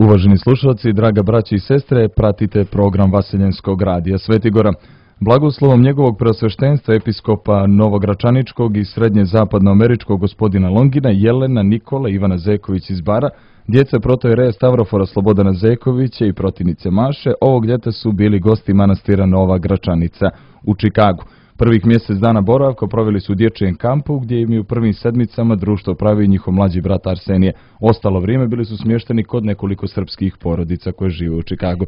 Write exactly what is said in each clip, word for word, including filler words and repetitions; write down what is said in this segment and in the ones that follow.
Uvaženi slušalci, draga braći i sestre, pratite program Vaseljenskog radija Svetigora. Blagoslovom njegovog preosveštenstva episkopa Novogračaničkog i srednje zapadnoameričkog gospodina Longina, Jelena, Nikola, Ivana Zeković iz Bara, djeca protojereja Stavrofora Slobodana Zekovića i protinice Maše, ovog ljeta su bili gosti manastira Nova Gračanica u Čikagu. Prvih mjesec dana boravka proveli su u dječjem kampu, gdje im je u prvim sedmicama društvo pravi njihov mlađi brat Arsenije. Ostalo vrijeme bili su smješteni kod nekoliko srpskih porodica koje žive u Čikagu.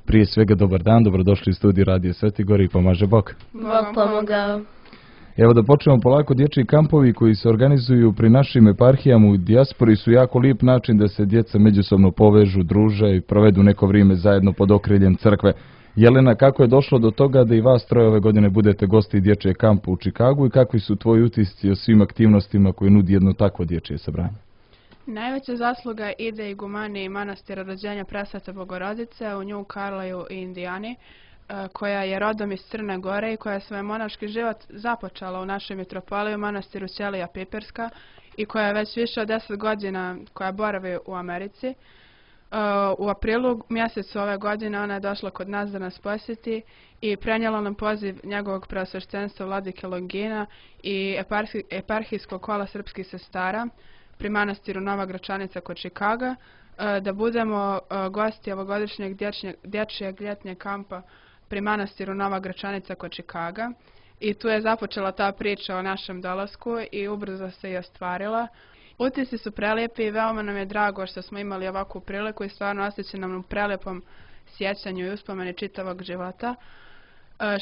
Prije svega dobar dan, dobrodošli u studiju Radija Svetigor i pomaže Bog. Bog pomogao. Evo da počnemo polako. Dječji kampovi koji se organizuju pri našim eparhijama u dijaspori su jako lijep način da se djeca međusobno povežu, druže i provedu neko vrijeme zajedno pod okriljem crkve. Jelena, kako je došlo do toga da i vas troje ove godine budete gosti dječjeg kampa u Čikagu i kakvi su tvoji utisci o svim aktivnostima koje nudi jedno takvo dječje sabranje? Najveća zasluga ide igumani manastira rođenja Presvete Bogorodice u New Carlisle i Indijani, koja je rodom iz Crne Gore i koja je svoj monaški život započela u našoj mitropoliji u manastiru Ćelija Piperska i koja je već više od deset godina koja boravi u Americi. U aprilu mjesecu ove godine ona je došla kod nas da nas posjeti i prenijela nam poziv njegovog preosveštenstva vladike Longina i eparhijskog kola srpskih sestara pri manastiru Nova Gračanica kod Čikaga, da budemo gosti ovogodišnjeg dječjeg ljetnjeg kampa pri manastiru Nova Gračanica kod Čikaga. I tu je započela ta priča o našem dolasku i ubrzo se i ostvarila. Utisci su prelijepi i veoma nam je drago što smo imali ovakvu priliku i stvarno osjeća nam u prelijepom sjećanju i uspomeni čitavog života.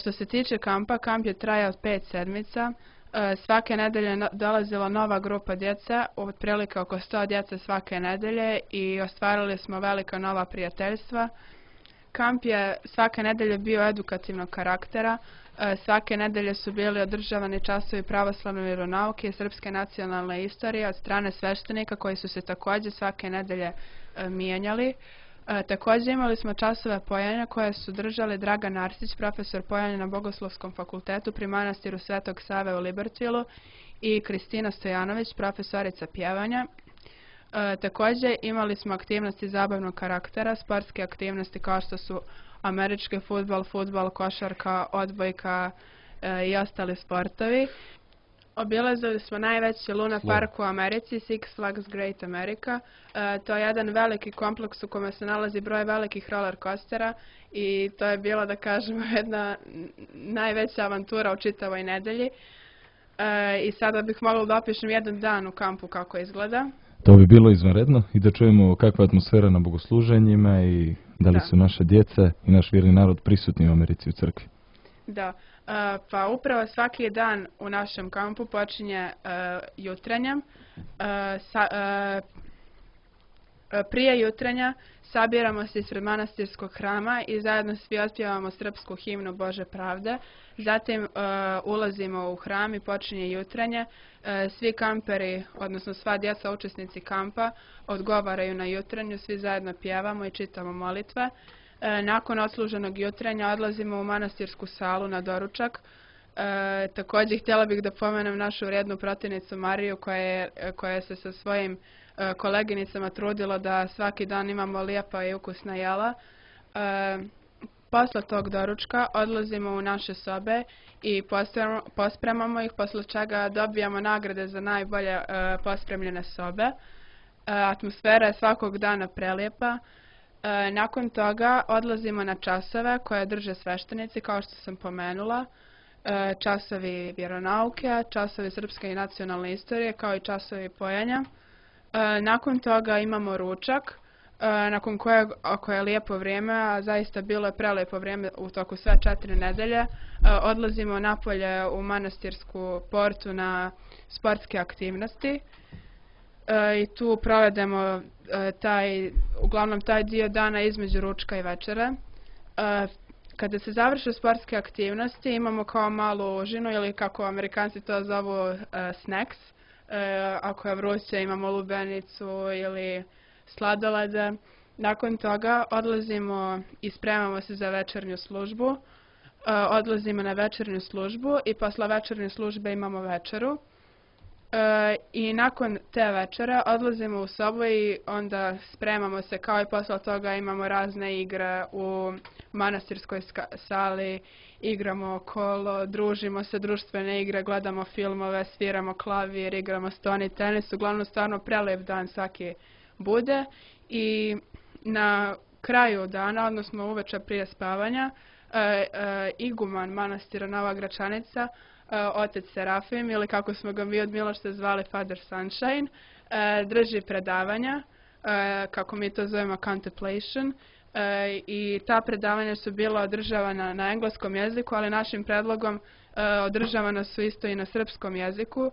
Što se tiče kampa, kamp je trajao pet sedmica. Svake nedelje dolazila nova grupa djece, otprilike oko sto djece svake nedelje i ostvarili smo velika nova prijateljstva. Kamp je svake nedelje bio edukativnog karaktera. Svake nedelje su bili održavani časovi pravoslavne vjeronauke i srpske nacionalne istorije od strane sveštenika koji su se također svake nedelje mijenjali. Također imali smo časove pojenja koje su držali Dragan Arsić, profesor pojenja na Bogoslovskom fakultetu pri manastiru Svetog Save u Libertvilu, i Kristina Stojanović, profesorica pjevanja. E, također imali smo aktivnosti zabavnog karaktera, sportske aktivnosti kao što su američki fudbal, fudbal, košarka, odbojka e, i ostali sportovi. Obilazili smo najveći Luna Park u Americi, Six Flags Great America. E, to je jedan veliki kompleks u kome se nalazi broj velikih roller coastera i to je bila, da kažemo, jedna najveća avantura u čitavoj nedelji. E, I sada bih mogla da opišem jedan dan u kampu kako izgleda. To bi bilo izvanredno i da čujemo kakva je atmosfera na bogosluženjima i da li da. su naše djeca i naš vjerni narod prisutni u Americi u crkvi. Da, uh, pa upravo svaki dan u našem kampu počinje uh, jutrenjem. Uh, sa, uh, prije jutrenja sabiramo se ispred manastirskog hrama i zajedno svi otpjevamo srpsku himnu Bože pravde. Zatim uh, ulazimo u hram i počinje jutrenje. Uh, svi kamperi, odnosno sva djeca učesnici kampa, odgovaraju na jutrenju, svi zajedno pjevamo i čitamo molitve. E, nakon odsluženog jutrenja odlazimo u manastirsku salu na doručak. E, također htjela bih da pomenem našu vrijednu protivnicu Mariju koja, je, koja se sa svojim e, koleginicama trudila da svaki dan imamo lijepa i ukusna jela. E, posle tog doručka odlazimo u naše sobe i pospremamo, pospremamo ih, posle čega dobijamo nagrade za najbolje e, pospremljene sobe. E, atmosfera je svakog dana prelijepa. E, nakon toga odlazimo na časove koje drže sveštenici, kao što sam pomenula, e, časovi vjeronauke, časovi srpske i nacionalne istorije, kao i časovi pojenja. E, nakon toga imamo ručak, e, nakon kojeg, ako je lijepo vrijeme, a zaista bilo je prelijepo vrijeme u toku sve četiri nedelje, e, odlazimo napolje u manastirsku portu na sportske aktivnosti. E, I tu provedemo e, taj, uglavnom taj dio dana između ručka i večere. E, kada se završe sportske aktivnosti imamo kao malu užinu ili kako Amerikanci to zovu e, snacks. E, ako je vruće imamo lubenicu ili sladolede. Nakon toga odlazimo i spremamo se za večernju službu. E, odlazimo na večernju službu i posle večernje službe imamo večeru. E, I nakon te večere odlazimo u sobu i onda spremamo se, kao i posle toga imamo razne igre u manastirskoj sali, igramo kolo, družimo se, društvene igre, gledamo filmove, sviramo klavir, igramo stoni tenis, uglavnom stvarno prelep dan svaki bude. I na kraju dana, odnosno uveče prije spavanja, e, e, iguman manastira Nova Gračanica, otac Serafim, ili kako smo ga mi od Miloša zvali Father Sunshine, drži predavanja, kako mi to zovemo contemplation, i ta predavanja su bila održavana na engleskom jeziku, ali našim predlogom održavana su isto i na srpskom jeziku.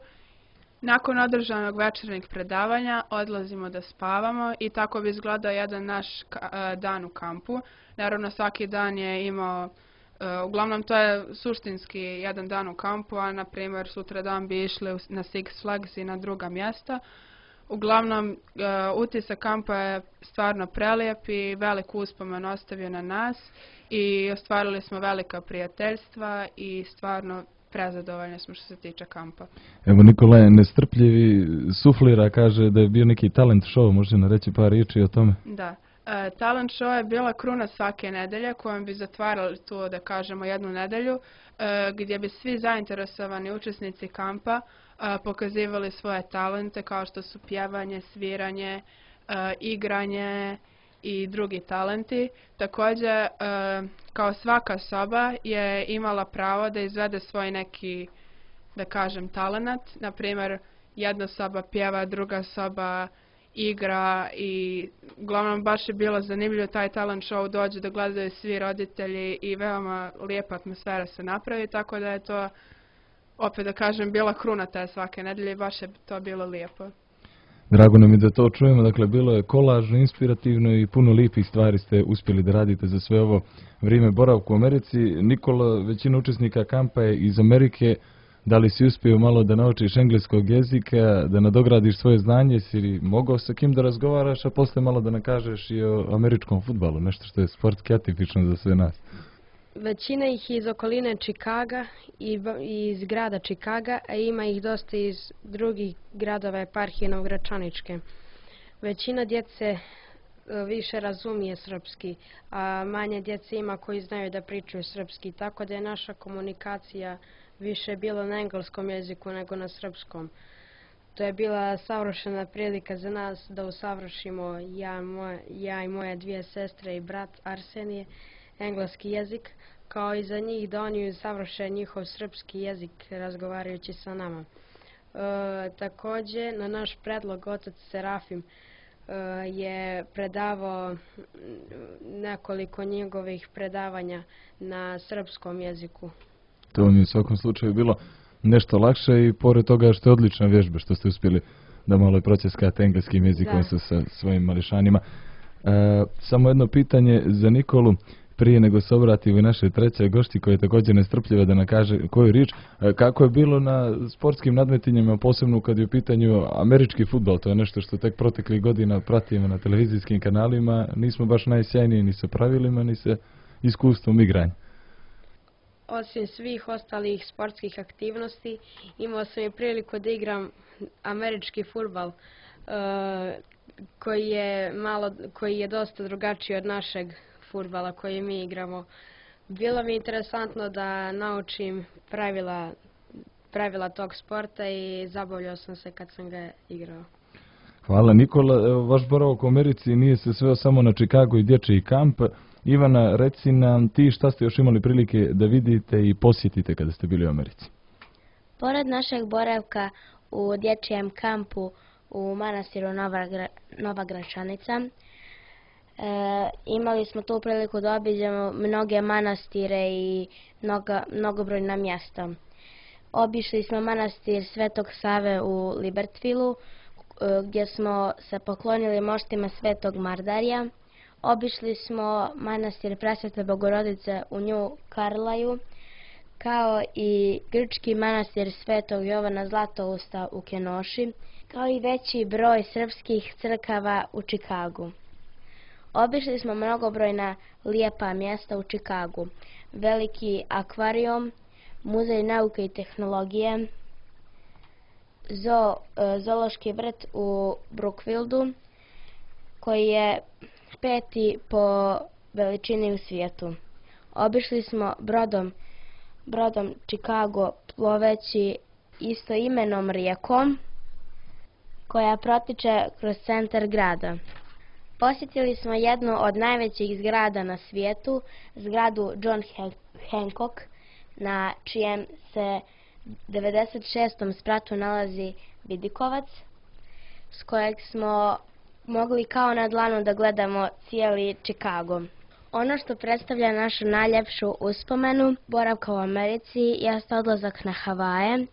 Nakon održanog večernjeg predavanja odlazimo da spavamo i tako bi izgledao jedan naš dan u kampu. Naravno, svaki dan je imao Uh, uglavnom to je suštinski jedan dan u kampu, a na primjer sutra dan bi išli na Six Flags i na druga mjesta. Uglavnom uh, utisak kampa je stvarno prelijep i velik uspomen ostavio na nas i ostvarili smo velika prijateljstva i stvarno prezadovoljni smo što se tiče kampa. Evo, Nikola je nestrpljivi, suflira, kaže da je bio neki talent show, može nam reći par riječi o tome? Da. E, talent show je bila kruna svake nedelje kojom bi zatvarali tu, da kažemo, jednu nedelju e, gdje bi svi zainteresovani učesnici kampa e, pokazivali svoje talente kao što su pjevanje, sviranje, e, igranje i drugi talenti. Također, e, kao svaka soba je imala pravo da izvede svoj neki, da kažem, talent. Na primjer, jedna soba pjeva, druga soba igra i uglavnom baš je bilo zanimljivo taj talent show, dođe da gledaju svi roditelji i veoma lijepa atmosfera se napravi, tako da je to, opet da kažem, bila kruna te svake nedelje i baš je to bilo lijepo. Drago nam je da to čujemo, dakle bilo je kolažno, inspirativno i puno lijepih stvari ste uspjeli da radite za sve ovo vrijeme boravku u Americi. Nikola, većina učesnika kampa je iz Amerike. Da li si uspio malo da naučiš engleskog jezika, da nadogradiš svoje znanje, si mogao sa kim da razgovaraš, a posle malo da nakažeš i o američkom fudbalu, nešto što je sportski atipično za sve nas? Većina ih iz okoline Čikaga i iz grada Čikaga, a ima ih dosta iz drugih gradova eparhije Novogračaničke. Većina djece više razumije srpski, a manje djece ima koji znaju da pričaju srpski, tako da je naša komunikacija više bilo na engleskom jeziku nego na srpskom. To je bila savršena prilika za nas da usavršimo ja, moje, ja i moje dvije sestre i brat Arsenije engleski jezik, kao i za njih da oni usavrše njihov srpski jezik razgovarajući sa nama. E, također, na naš predlog otac Serafim e, je predavao nekoliko njegovih predavanja na srpskom jeziku. To vam je u svakom slučaju bilo nešto lakše i pored toga što je odlična vježba, što ste uspjeli da malo proceskate engleskim jezikom sa, sa svojim mališanima. E, samo jedno pitanje za Nikolu, prije nego se obrati u naše treće gošći koja je također nestrpljiva da nam kaže koju riječ. E, kako je bilo na sportskim nadmetinjima, posebno kad je u pitanju američki fudbal? To je nešto što tek proteklih godina pratimo na televizijskim kanalima. Nismo baš najsjajniji ni sa pravilima, ni sa iskustvom igranja. Osim svih ostalih sportskih aktivnosti, imao sam i priliku da igram američki fudbal, koji je malo, koji je dosta drugačiji od našeg fudbala koji mi igramo. Bilo mi interesantno da naučim pravila, pravila tog sporta i zabavljao sam se kad sam ga igrao. Hvala Nikola. Evo, vaš boravak u Americi nije se sveo samo na Chicago i dječji kamp. Ivana, reci nam ti šta ste još imali prilike da vidite i posjetite kada ste bili u Americi? Pored našeg boravka u dječjem kampu u manastiru Nova, Gra, Nova Gračanica, e, imali smo tu priliku da obiđemo mnoge manastire i mnoga, mnogobrojna mjesta. Obišli smo manastir Svetog Save u Libertvilu, e, gdje smo se poklonili moštima Svetog Mardarija. Obišli smo manastir Presvete Bogorodice u New Carlaju, kao i grčki manastir Svetog Jovana Zlatousta u Kenoši, kao i veći broj srpskih crkava u Čikagu. Obišli smo mnogobrojna lijepa mjesta u Čikagu, veliki akvarijum, muzej nauke i tehnologije, zoo, zoološki vrt u Brookfieldu, koji je peti po veličini u svijetu. Obišli smo brodom, brodom Chicago ploveći istoimenom rijekom koja protiče kroz centar grada. Posjetili smo jednu od najvećih zgrada na svijetu, zgradu John Hancock, na čijem se devedeset šestom spratu nalazi vidikovac, s kojeg smo mogli kao na dlanu da gledamo cijeli Chicago. Ono što predstavlja našu najljepšu uspomenu boravka u Americi jeste odlazak na Havaje,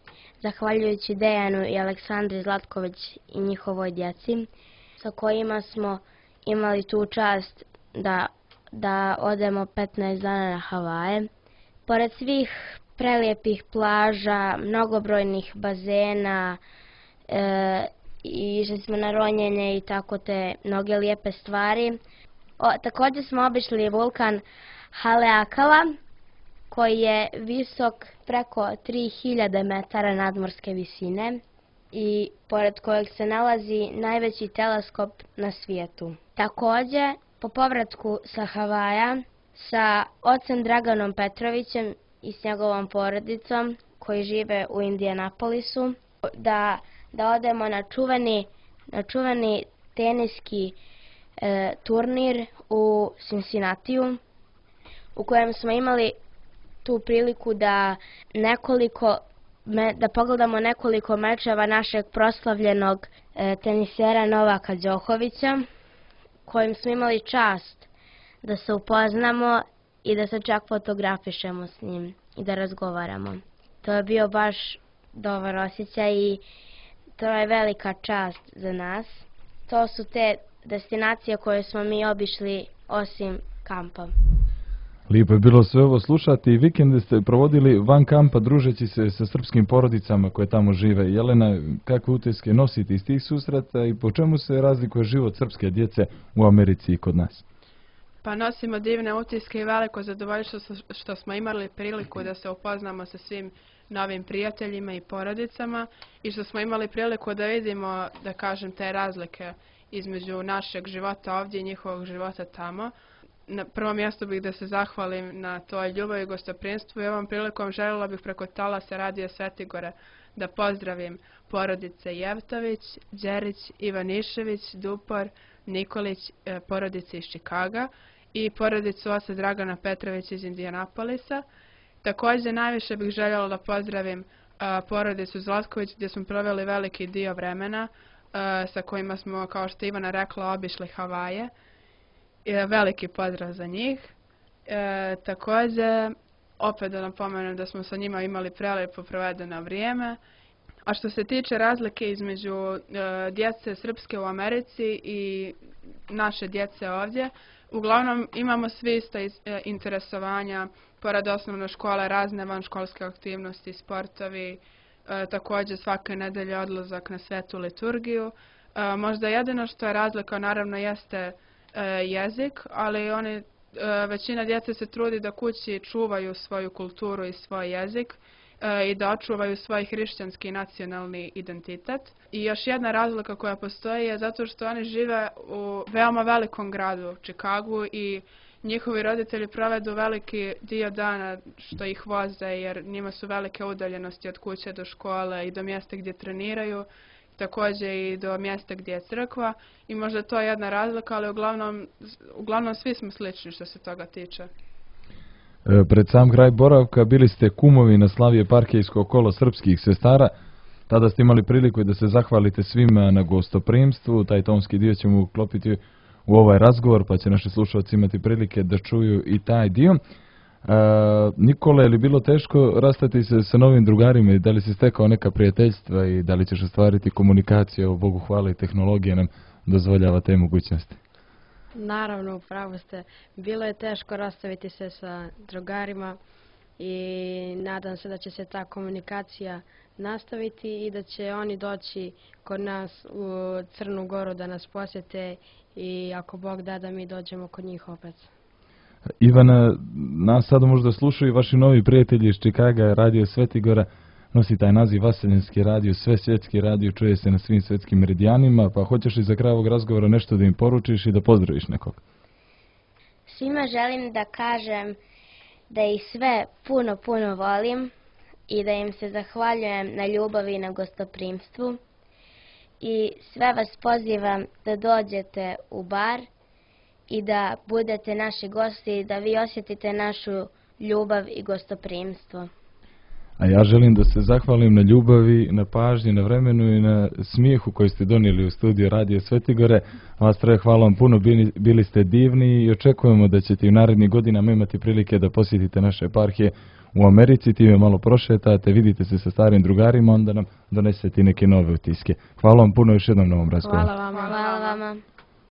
zahvaljujući Dejanu i Aleksandri Zlatković i njihovoj djeci, sa kojima smo imali tu čast da, da odemo petnaest dana na Havaje. Pored svih prelijepih plaža, mnogobrojnih bazena, e, i išli smo na ronjenje i tako te mnoge lijepe stvari. O, također smo obišli vulkan Haleakala, koji je visok preko tri hiljade metara nadmorske visine i pored kojeg se nalazi najveći teleskop na svijetu. Također, po povratku sa Havaja, sa ocem Draganom Petrovićem i s njegovom porodicom, koji žive u Indianapolisu, da, da odemo na čuveni, na čuveni teniski e, turnir u Cincinnatiju, u kojem smo imali tu priliku da nekoliko me, da pogledamo nekoliko mečeva našeg proslavljenog e, tenisera Novaka Đokovića, kojim smo imali čast da se upoznamo i da se čak fotografišemo s njim i da razgovaramo. To je bio baš dobar osjećaj i to je velika čast za nas. To su te destinacije koje smo mi obišli osim kampa. Lijepo je bilo sve ovo slušati i vikende ste provodili van kampa družeći se sa srpskim porodicama koje tamo žive. Jelena, kakve utiske nosite iz tih susreta i po čemu se razlikuje život srpske djece u Americi i kod nas? Pa nosimo divne utiske i veliko zadovoljstvo što smo imali priliku da se upoznamo sa svim novim prijateljima i porodicama i što smo imali priliku da vidimo, da kažem, te razlike između našeg života ovdje i njihovog života tamo. Na prvom mjestu bih da se zahvalim na toj ljubavi i gostoprimstvu i ovom prilikom željela bih preko talasa Radija Svetigora da pozdravim porodice Jevtović, Đerić, Ivanišević, Dupor, Nikolić, porodice iz Čikaga i porodicu oca Dragana Petrovića iz Indianapolisa. Također najviše bih željela da pozdravim a, porodicu Zlatković gdje smo proveli veliki dio vremena a, sa kojima smo, kao što Ivana rekla, obišli Havaje. E, veliki pozdrav za njih. E, također, opet da napomenem da smo sa njima imali prelijepo provedeno vrijeme. A što se tiče razlike između e, djece srpske u Americi i naše djece ovdje, uglavnom imamo svi isto iz, e, interesovanja, pored osnovne škole, razne vanškolske aktivnosti, sportovi, e, također svake nedelje odlazak na svetu liturgiju. E, možda jedino što je razlika naravno jeste e, jezik, ali oni, e, većina djece se trudi da kući čuvaju svoju kulturu i svoj jezik e, i da očuvaju svoj hrišćanski nacionalni identitet. I još jedna razlika koja postoji je zato što oni žive u veoma velikom gradu, Chicagu, i njihovi roditelji provedu veliki dio dana što ih voze jer njima su velike udaljenosti od kuće do škole i do mjesta gdje treniraju, također i do mjesta gdje je crkva i možda to je jedna razlika, ali uglavnom, uglavnom svi smo slični što se toga tiče. E, pred sam kraj boravka bili ste kumovi na slavi eparhijsko kolo srpskih sestara. Tada ste imali priliku da se zahvalite svima na gostoprimstvu. Taj tonski dio ćemo uklopiti u ovaj razgovor, pa će naši slušalci imati prilike da čuju i taj dio. E, Nikola, je li bilo teško rastati se sa novim drugarima i da li si stekao neka prijateljstva i da li ćeš ostvariti komunikaciju? O Bogu hvala i tehnologija nam dozvoljava te mogućnosti. Naravno, upravo ste. Bilo je teško rastaviti se sa drugarima i nadam se da će se ta komunikacija nastaviti i da će oni doći kod nas u Crnu Goru da nas posjete i ako Bog da da mi dođemo kod njih opet. Ivana, nas sad možda slušaju vaši novi prijatelji iz Čikaga, Radio Svetigora. nosi taj naziv Vaseljenski radio, sve svjetski radio, čuje se na svim svjetskim meridijanima, pa hoćeš li za kraj ovog razgovora nešto da im poručiš i da pozdraviš nekog? Svima želim da kažem da ih sve puno, puno volim i da im se zahvaljujem na ljubavi i na gostoprimstvu. I sve vas pozivam da dođete u bar i da budete naši gosti i da vi osjetite našu ljubav i gostoprimstvo. A ja želim da se zahvalim na ljubavi, na pažnji, na vremenu i na smijehu koji ste donijeli u studiju Radio Svetigore. Vas troje hvala vam puno, bili, bili ste divni i očekujemo da ćete u narednih godinama imati prilike da posjetite naše eparhije u Americi, time malo prošetate, vidite se sa starim drugarima, onda nam donesete neke nove utiske. Hvala vam puno još jednom na ovom razgovoru. Hvala vama. Hvala vama.